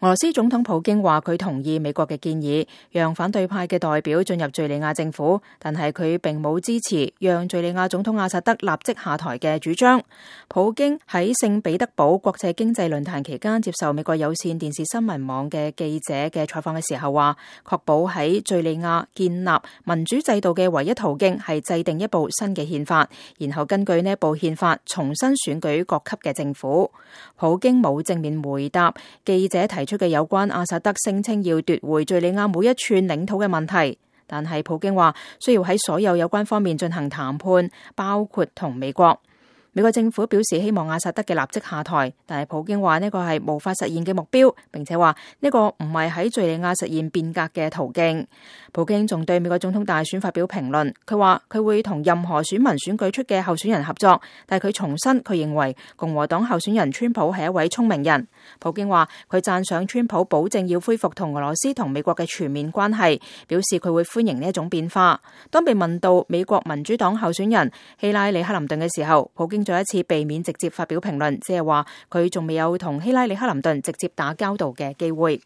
俄羅斯總統普京話佢同意美國嘅建議，讓反對派嘅代表進入敘利亞政府，但係佢並冇支持讓敘利亞總統阿薩德立即下台嘅主張。普京喺聖彼得堡國際經濟論壇期間接受美國有線電視新聞網嘅記者嘅採訪嘅時候話，確保喺敘利亞建立民主制度嘅唯一途徑係制定一部新嘅憲法，然後根據呢部憲法重新選舉各級嘅政府。普京冇正面回答記者提出嘅有關阿薩德聲稱要奪回敘利亞每一寸領土嘅問題，但係普京話需要喺所有有關方面進行談判，包括同美國。美國政府表示希望阿薩德嘅立即下台，但係普京話呢個係無法實現嘅目標，並且話呢個唔係喺敘利亞實現變革嘅途徑。普京仲對美國總統大選發表評論，佢話佢會同任何選民選舉出嘅候選人合作，但係佢重申佢認為共和黨候選人川普係一位聰明人。普京話佢讚賞川普保證要恢復同俄羅斯同美國嘅全面關係，表示佢會歡迎呢一種變化。當被問到美國民主黨候選人希拉里克林頓嘅時候，普京再一次避免直接發表評論，即係話佢仲未有同希拉里克林頓直接打交道嘅機會。